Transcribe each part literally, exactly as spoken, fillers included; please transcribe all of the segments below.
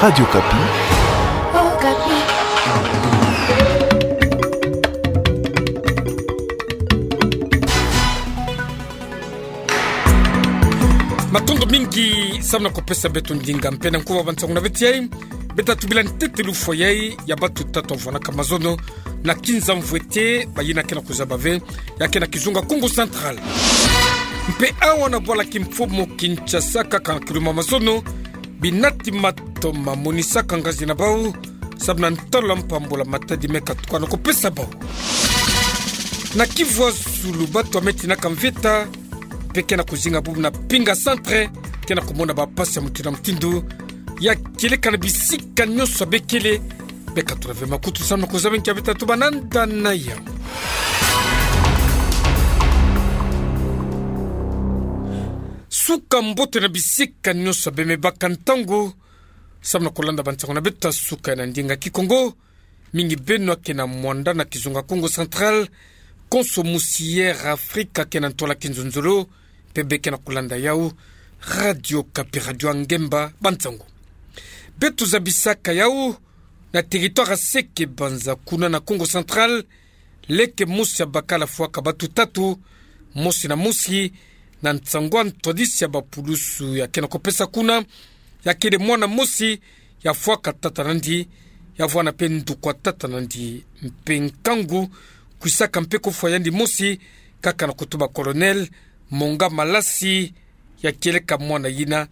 Radio Okapi. Matondo mingi samu na kupesa beto ndinga mpe na nkuba bansangu na beto yai. Beta tubila ntete lufwa yai ya batu tatu wavwanaka mazono na kinza mvwete, bayina ke na kuzaba ve, ya ke na kizunga Kongo Central. Mpe awa na bwala kimfumu Kinshasa, kaka na kiluma mazono, binati matoma monisaka ngazi na bau samu na ntalula mpambula matadi me katuka na kupesa bau. Na Kivu ya zulu, batu ya me tinaka mvita mpe ke na kuzinga bubu na Pinga Centre ke na kumona bampasi ya mutindu na mutindu, ya kieleka na bisika nyonso ya bekele. Beka tula ve makutu samu na kuzaba nki ya beta tubananda na yau. Suka mbote na bisika nyonso ya bemei, baka ntangu samu na kulanda bansangu na beta suka na ndinga Kikongo. Mingi beno ya ke na Muanda na kizunga Kongo Central, konso musi Air Afrika ke na ntwala kinzonzolo, mpe beke na kulanda yau Radio Okapi, radio ya ngemba bansangu. Beto zabisaka yau na territoire ya Seke Banza, kuna na Kongo Central, leke mosi ya bakala fwaka batu tatu, mosi na mosi, na nsangu ya ntwadisi ya bapulusu ya ke na kupesa kuna, ya kele mwana mosi ya fwaka tata na ndi, ya vwanda mpe nduku ya tata na ndi, mpe nkangu kwisaka mpe kofwa yandi mosi, kaka na kutuba Colonel Monga Malasi, ya kieleka mwana yina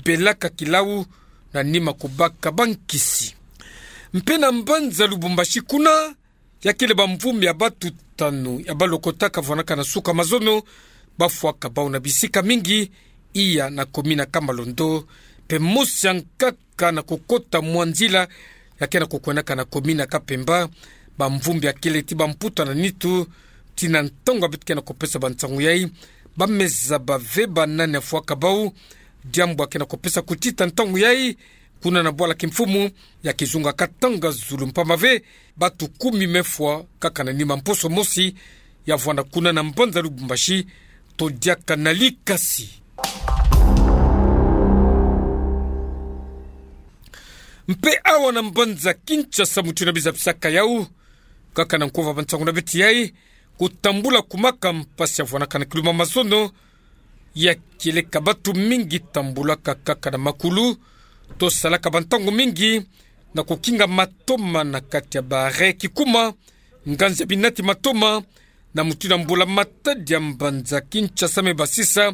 belaka kilau na nima kubaka bankisi. Mpe na mbanza Lubumbashi kuna, ya kele bamvumbi ya batu tanu ya balokotaka vwanaka na suka mazono, bafwaka bau na bisika mingi, iya na komina Kamalondo, mpe mosi ya nkaka na kukota mwa nzila ya ke na kukwendaka na komina Kapemba. Bamvumbi ya kele ti bamputa na nitu, tii na ntangu ya beto ke na kupesa bansangu yai, ba me zaba ve banani ya fwaka bau, diambu ya ke na kupesa kutita ntangu yai kuna na bwala kimfumu ya kizunga Katanga Zulu, mpamba ve batu kumi me fwa kaka na nima mposo mosi ya vwanda kuna na mbanza Lubumbashi, to diaka na likasi. Mpe awa na mbanza Kinshasa, mutindu na bizabisaka yau, kaka na nkuba bansangu na beto yai, kutambula kumaka mpasi ya vwanaka na kiluma mazono, ya kieleka batu mingi tambulaka kaka na makulu, to salaka bantangu mingi na kukinga matoma na kati ya ba arrêt kikuma, nganzi ya binati matoma, na mutindu ya mbula-matadi ya mbanza Kinshasa me basisa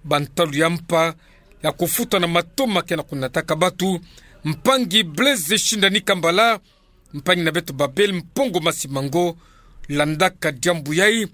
bantalu ya mpa ya kufuta na matoma ke na kunataka batu. Mpangi Blaise Shindani Kambala, mpangi na beto Babel Mpongo Masimango, landaka diambu yai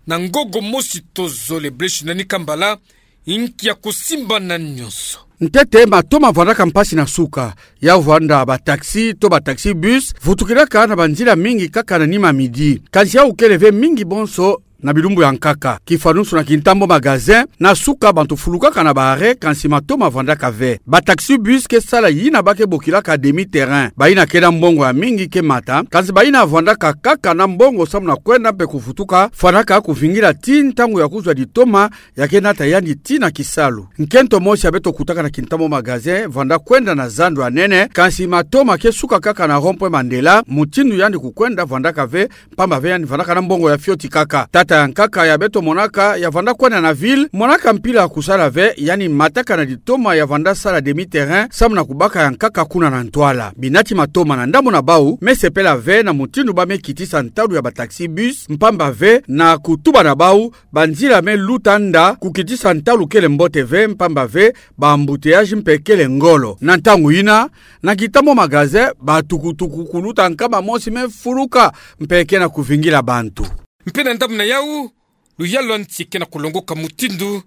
na ngogo mosi to zole. Blaise Shindani Kambala, inki ya kusimba na nyonso? Ntete, matoma vwandaka mpasi na suka, ya vwanda ba taxi to ba taxi bus vutukilaka na banzila mingi kaka na nima midi. Kansi yau kele ve mingi bonso na bilumbu ya nkaka. Kifanusu na Kintambo Magasin, na suka bantu fulukaka na ba arrêt, kansi matoma vwandaka ve. Ba taxi bus ke sala yina ba ke bokilaka demi-terrain. Bayina ke na mbongo ya mingi ke mata, kansi bayina vwandaka kaka na mbongo samu na kwenda mpe kuvutuka, fwanaka kuvingila tii ntangu ya kuzwa ditoma ya ke nata yandi tii na kisalu. Nkento mosi ya beto kutaka na Kintambo Magasin vwanda kwenda na zandu ya nene, kansi matoma ke suka kaka na rond-point Mandela, mutindu yandi kukwenda vwandaka ve, mpamba ve yandi vwandaka na mbongo ya fioti kaka. Tata ya nkaka ya beto monaka ya vwanda kwenda na ville, monaka mpila ya kusala ve, yandi mataka na ditoma ya vwanda sala demi-terrain samu na kubaka ya nkaka kuna na ntwala. Binati matoma na ndambu na bau me sepela ve na mutindu ba me kitisa ntalu ya ba taxi bus, mpamba ve na kutuba na bau, banzila me luta nda kukitisa ntalu kele mbote ve, mpamba ve ba embouteillage mpe kele ngolo. Na ntangu yina, na Kintambo Magasin, ba tukutuku kuluta nkama mosi me fuluka mpe ke na kuvingila bantu. Mpe na ndambu na yau, luyalu ya nsi ke na kulongoka mutindu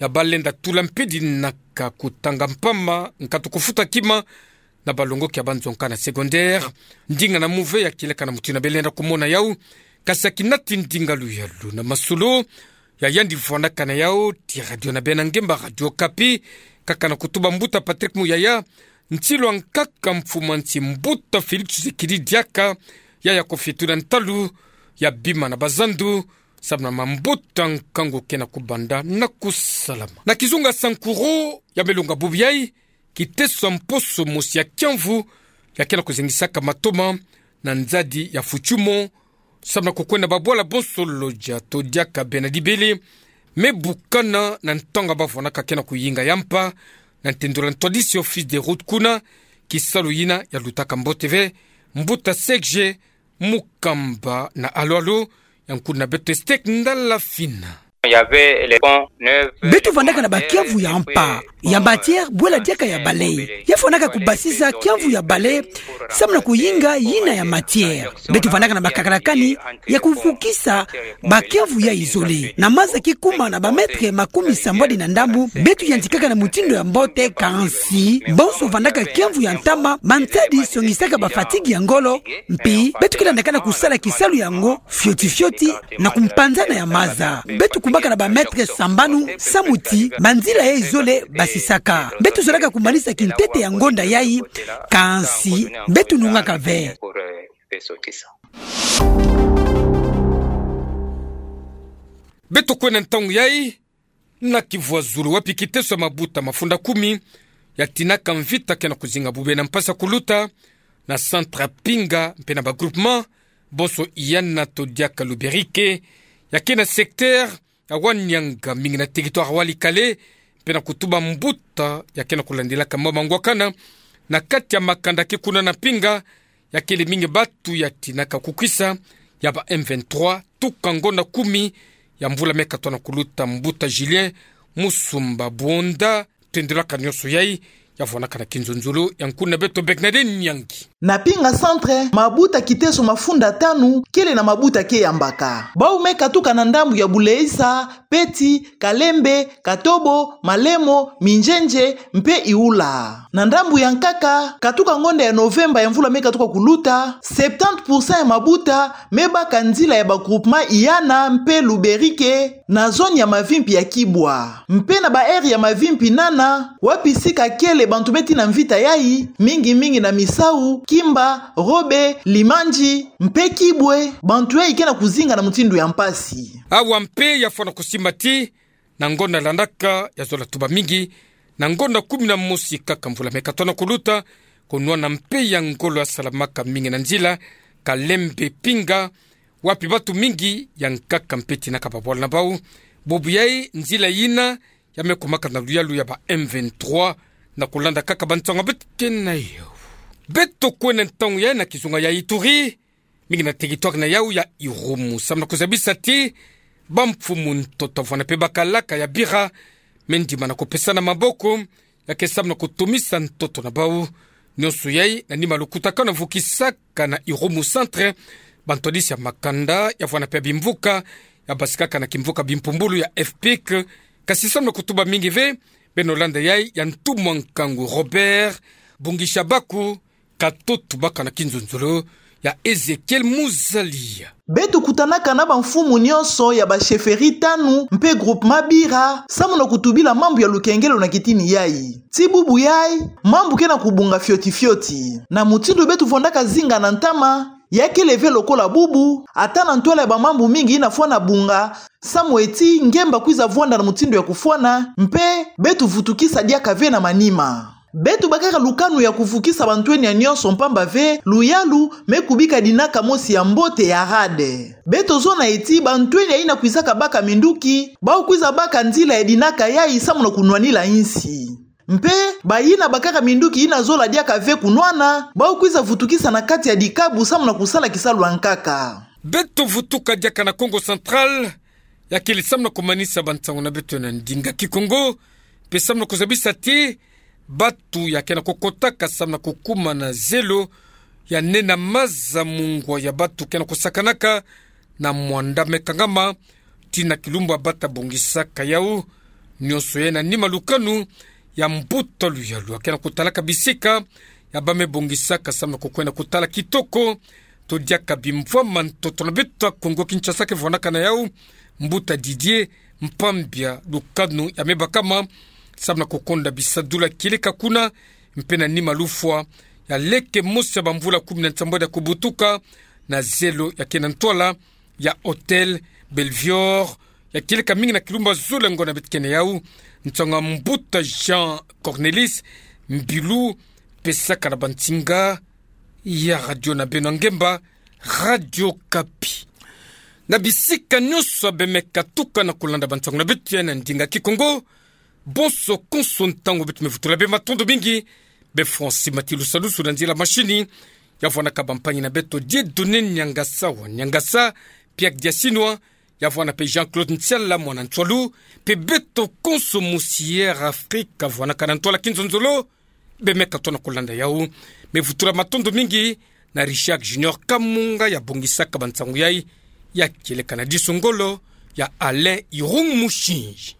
ya ba lenda tula mpidi na ka kutanga mpamba, nkatu kufuta kima na balongoki ya banzonka na secondaire. Ndinga na mu ve ya kieleka na mutindu na be lenda kumona yau, kasi ya kinati ndinga luyalu na masolo ya yandi vwandaka na yau tii radio na beno ya ngemba Radio Okapi, kaka na kutuba mbuta Patrick Muyaya, nsilu ya nkaka mfumu ya nsi mbuta Félix Tshisekedi diaka, ya ya kufietula ntalu ya bima na bazandu, samu na mambuta nkangu ke na kubanda na kusalama. Na kizunga Sankuru, ya me longa bubu yai, kiteso mposo mosi ya kiamvu, ya ke na kuzingisaka matoma na nzadi ya Fuchumo, samu na kukwenda babwala bonso lodia to diaka bena dibele, me bukana na ntangu bavwanaka ke na kuyinga ya mpa, na ntendolo na ntwadisi office de route kuna, kisalu yina yalutaka mbote ve. Mbuta Serge Mukamba na alo-alo, ya nkuna beto Estek Ndala Fina. Il y avait les ponts neufs. Beto vandaka na bakiamvu ya mpa, ya matière, bwela diaka ya bale. Ya fwanaka kubasisa kiamvu ya bale, samu na kuyinga yina ya matière. Beto vandaka na bakakalakani ya kuvukisa bakiamvu ya izole. Na maza kikuma na ba mètres makumi sambwadi na ndambu, beto yantikaka na mutindu ya mbote, kansi bonso vandaka kiamvu ya ntama, mantadi songisaka ba fatigue ya ngolo, mpi beto ke landaka na kusala kisalu yango fioti-fioti na kumpanzana ya maza. Beto kumaka na ba mètres sambanu, samu ti manzila ya izole basisaka. Beto zolaka kumanisa kintete ya ngonda yai, kansi beto nungaka ve. Beto kwenda ntangu yai na kivwazulu wapi kiteso ya mabuta mafunda kumi, ya tinaka mvita ke na kuzinga bube na mpasi ya kuluta, na centre Pinga mpe na ba groupement bonso Iyana to diaka Luberike, ya ke na secteur ya Wanianga, mingi na territoire Walikale, mpe na kutuba mbuta ya ke na kulandilaka mambu mangwakana na kati ya makanda ke kuna na Pinga, ya kele mingi batu ya tinaka kukwisa ya ba M vingt-trois, tuka ngonda kumi ya mvula me katwa na kuluta. Mbuta Julien Musumba Buonda, tendilaka nionso yai, ya vwanaka na kinzonzolo ya nkuna beto Bernadette Nyangi. Na Pinga centre, mabuta kiteso mafunda tanu kele na mabuta ke yambaka. Bau me katuka na ndambu ya Buleisa, Peti, Kalembe, Katobo, Malemo, Minjenje, mpe Iula. Na ndambu ya nkaka, katuka ngonda ya Novemba ya mvula me katuka kuluta, septante pour cent ya mabuta me baka nzila ya ba groupement Iyana mpe Luberike, na zone ya mavimpi ya Kibwa. Mpe na ba aire ya mavimpi nana, wapi sika kele bantu me tina mvita yai, mingi-mingi na Misau, Kimba, Robe, Limanji, mpe Kibwe, bantu yai ke na kuzinga na mutindu ya mpasi. Awa mpe ya fwana kusimba ti, na ngonda landaka, ya zola tuba mingi, na ngonda kumi na mosi kaka mvula me katwa na kuluta, kunwana mpe ya ngolo ya salamaka mingi na nzila Kalembe Pinga, wapi batu mingi ya nkaka mpe tinaka babwala na bau. Bubu yai nzila yina ya me kumaka na luyalu ya ba M vingt-trois, na kulanda kaka bansango beto ke na yo. Beto kwenda ntangu yai na kizunga ya Ituri, mingi na territoire na yau ya Irumu, samu na kuzabisa ti bamfumu ntoto vwana mpe bakalaka ya bira me ndimana kupesana maboko, ya ke samu na kutomisa ntoto na bau. Nionso yai na nima lukutakanu ya vukisaka na Irumu centre bantwadisi ya makanda ya vwana mpe ya bimvuka ya basikaka na kimvuka bimpumbulu ya FPIC, kasi samu na kutuba mingi ve. Beno landa yai ya ntumwa nkangu Robert Bungishabaku, katutu baka na kinzonzolo ya Ezekiel Muzalia. Beto kutanaka na bamfumu nionso ya ba chefferie tanu mpe groupement bira, samu na kutubila mambu ya lukengelo na kitini yai. Ti bubu yai, mambu ke na kubunga fioti-fioti. Na mutindu beto vwandaka zinga na ntama, ya kele ve lokola bubu, ata na ntwala ya bamambu mingi yina fwana bunga, samu ti ngemba kwiza vwanda na mutindu ya kufwana, mpe beto vutukisa diaka ve na manima. Beto bakaka lukanu ya kuvukisa bantwenia nionso mpamba ve luyalu me kubika dinaka mosi ya mbote ya rade. Beto zona ti bantwenia yina kwizaka baka minduki, bau kwiza baka nzila ya dinaka yai samu na kunwanila insi. Mpe bayina bakaka minduki yina zola diaka ve kunwana, bau kwiza vutukisa na kati ya dikabu samu na kusala kisalu ya nkaka. Beto vutuka diaka na Kongo Central, ya kele samu na kumanisa bansango na beto na ndinga Kikongo, mpe samu na kuzabisa ti batu ya ke na kukotaka samu na kukuma na zelo ya nena maza mungwa ya batu ke na kusakanaka na mwanda me kangama, tii na kilumbu bata bongisaka yau. Nionso yai na nima lukanu ya mbuta luyalu ya ke na kutalaka bisika ya ba me bongisaka samu na kukwenda kutala kitoko to diaka bimvwama ntoto na beto ya Kongo Kinshasa ke vwanaka na yau, mbuta Didier Mpambia. Lukanu ya me bakama samu na kukonda bisadula kieleka kuna, mpe na nima lufwa ya leke mosi ya bamvula kumi na nsambwadi ya kubutuka na zelo ya ke na ntwala ya Hôtel Belvior, ya kieleka mingi na kilumbu zole ngo na beto ke na yau. Nsango ya mbuta Jean Cornelis mbilu, pe saka na bansinga ya radio na beno ya ngemba, Radio Okapi. Na bisika nyonso bemeka tuka na kolanda bansangu na beto ya na ndinga Kikongo, bonso konso ntangu beto mevutula bê, matondo mingi. Bê Francis Matilusalusu na nzila mashini, ya vwanaka bampangi na beto Dieudonné Niangasa wa Niangasa, Pierre Diasinwa, ya vwana pe Jean-Claude Nsiala mwana Nsualu, pe beto konso mosi Air Afrique vwanaka na ntwala kinzonzolo, bemeka tona kolanda yau. Mevutula matondo mingi na Richard Junior Kamunga ya bongisaka bansangu yai, ya kieleka na diso ngolo ya Alain Irung Mushinji.